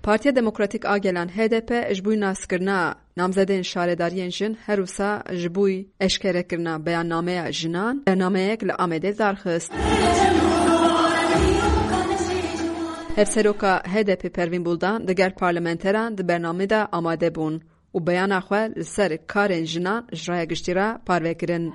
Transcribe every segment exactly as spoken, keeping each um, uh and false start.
Partiya Demokratîk a Gelan H D P ji bo naskirina namzedên şaredariyên jin her wisa ji bo eşkerekirina beyannameya jinan bernameyek li Amedê darxist. Hevseroka H D P Pervîn Buldan digel parlamenteran di bernamê de amade bûn û beyana xwe li ser karên jinan ji raya giştî re parve kirin.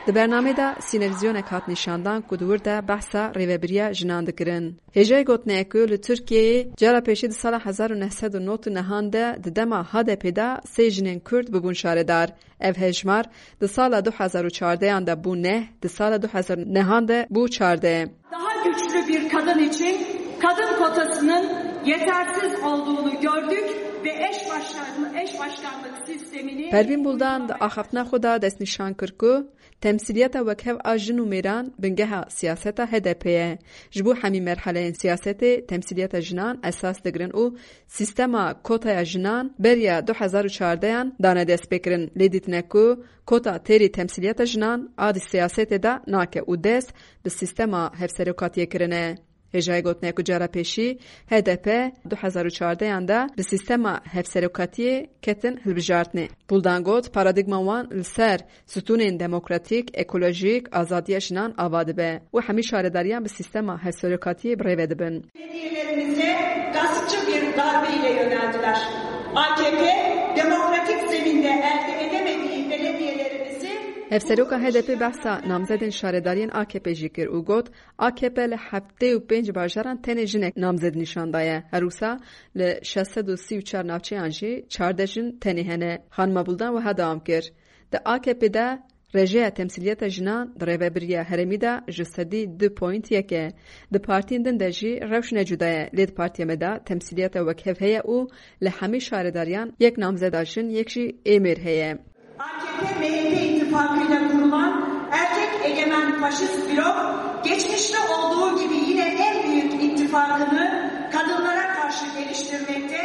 Di bernamê de sînevîzyonek hat nîşandan ku di wir de behsa rêvebiriya jinan dikirin. Hêjayî gotinê ye ku li Tirkiyeyê cara pêşî di sala hezar û neh sed û nod û nehan de di dema H D P de sê jinên Kurd bibûn şaredar. Ev hejmar di sala du hezar û çardehan de bû neh, di sala du hezar û nehan de bû çardeh. Daha güçlü bir kadın için kadın kotasının yetersiz olduğunu gördük ve eş başkan-, eş başkanlık sistemini Pervîn Buldan di axaftina xwe de destnîşan kir ku temsîliyeta wekhev a jin û mêran bingeha siyaseta H D P ye. Ji bo hemî merheleyên siyasetê temsîliyeta jinan esas digirin û sîstema kotaya jinan beriya du hezar û çardehan dane destpêkirin. Lê dîtine ku kota têrî temsîliyeta jinan a di siyasetê de nake û dest bi sîstema hevserokatiyê kirine. Hêjayî gotinê ku cara pêşî H D P du hezar û çardehan de bi sîstema hevserokatiyê ketin hilbijartinê. Buldan got, paradîgma wan li ser stûnên demokratîk, ekolojîk, azadiya jinan ava dibe û hemî şaredariyan bi sîstema hevserokatiyê bi rê ve dibin. Belediyelerimize gaspçı bir darbe ile yöneldiler. A K P demokratik zeminde elde edemediği belediyelerimizi Hevseroka H D P behsa namzedên şaredariyên A K P jî kir û got, A K P li heftê û pênc bajaran tenê jinek namzed nîşan daye. Her wisa li şeş sed û sî û çar navçeyan jî çardeh jin tenê hene. Xanima Buldan wiha dewam kir, di A K P de rêjeya temsîliyeta jinan di rêvebiriya herêmî de ji sedî du point yek e. Di partiyên din de jî rewş ne cuda ye, lê di partiya me de temsîliyeta wekhev heye û li hemî şaredariyan yek namzeda jin, yek jî ê mêr heye. A K P M H P ittifakıyla kurulan erkek egemen faşist blok geçmişte olduğu gibi yine en büyük ittifakını kadınlara karşı geliştirmekte,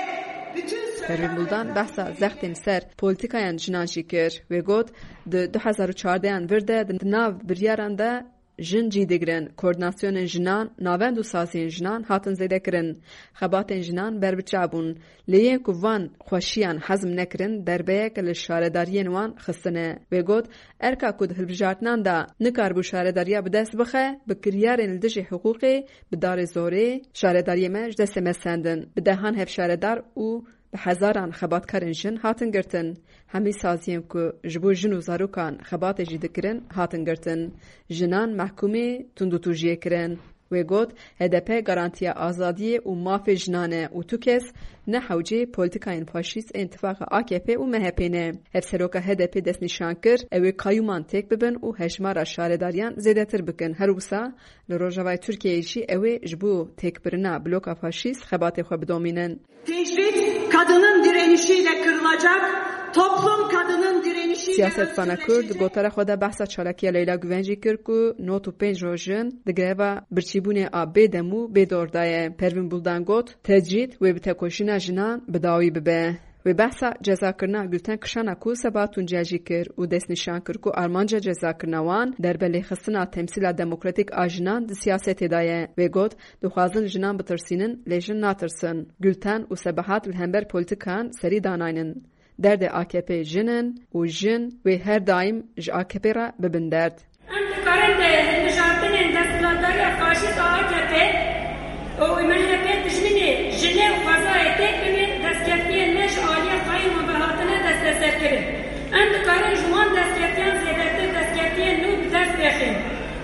bütün Pervîn Buldan behsa zextên ser polîtîkayan jinan jî kir. Wê got, di du hezar û çardehan vir de di nav biryaran de jin cî digirin, koordînasyonên jinan, navend û saziyên jinan hatin zêdekirin. Xebatên jinan berbiçav bûn. Lê yên ku van xweşiyan hezm nekirin, derbeyek li şaredariyên wan xistine. Wê got, erka ku di hilbijartinan de nikaribû şaredariya bi dest bixe, bi kiryarên li dijî hiqûqê, bi darê zorê, şaredariyê me ji destê me sendin. Bi dehan hevşaredar û bi hezaran xebatkarên jin hatin girtin. Hemî saziyên ku ji bo jin û zarokan xebatê jî dikirin, hatin girtin. Jinan mehkûmê tundûtûjiyê kirin. Wê got, H D P garantiya azadiyê û mafê jinan e û tu kes ne hewcê polîtîkayên faşîst ên tifaqa A K P û M H P ne. Hevseroka H D P destnîşan kir, ew ê qayûman têk bibin û hejmara şaredariyan zêdetir bikin. Her wisa li Rojavayê Tirkiyeyê jî ew ê ji bo têkbirina bloka faşîst xebatê xwe bidomînin. Tecrit kadının direnişiyle kırılacak, toplum kadının direnişiyle Siyasetsana Kurd di gotara xwe de behsa çalakiya Leyla Guven jî kir ku nod û pênc rojin di greva birçîbûnê a bêdem û bêdor de ye. Pervîn Buldan got, tecrîd wê bi tekoşîna jinan bi dawî bibe. Wê behsa cezakirina Gülten Kişana ku seba Tuncel jî kir û destnîşan kir ku armanca cezakirina wan derbe lêxistina temsîla demokratîk a jinan di siyasetê de ye. Wê got, dixwazin jinan bitirsînin, lê jin natirsin. Gülten û Sebahat li hember polîtîkan serî danaynin. Derdê A K P jin in û jin wê her daîm ji A K P re bibin derd. Em dikarin di hilbijartinên desthilatdariya faşîst a A K P û M H P dijminê jinê û xwezayê têk bibin, destkeftiyên me ji aliyê qayûman ve hatine desteserkirin. Em dikarin ji wan destkeftiyan zêdetir destkeftiyan nû bi dest bêxin.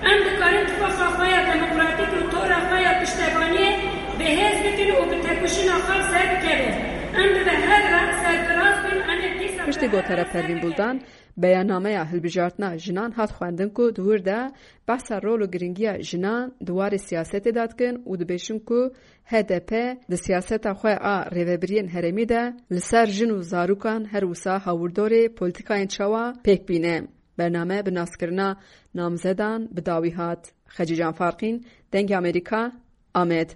Em dikarin tifaqa xwe ya demokratîk û tora xwe ya piştevaniyê bi hêz bikin û bi têkoşîna xwe bi ser bikevin. Em bi vê hev re serfiraz bin, em ê dîsa Piştî gotara Pervîn Buldan, beyannameya hilbijartina jinan hat xwendin ku di wir de behsa rol û giringiya jinan di warê siyasetê de dikin û dibêjin ku H D P di siyaseta xwe a rêvebiriyên herêmî de li ser jin û zarokan her wisa hawirdorê polîtîkayên çawa pêk bîne. Bername bi naskirina namzedan bi dawî hat. Xecîcan Farqîn, Dengê Amerîka, Amed.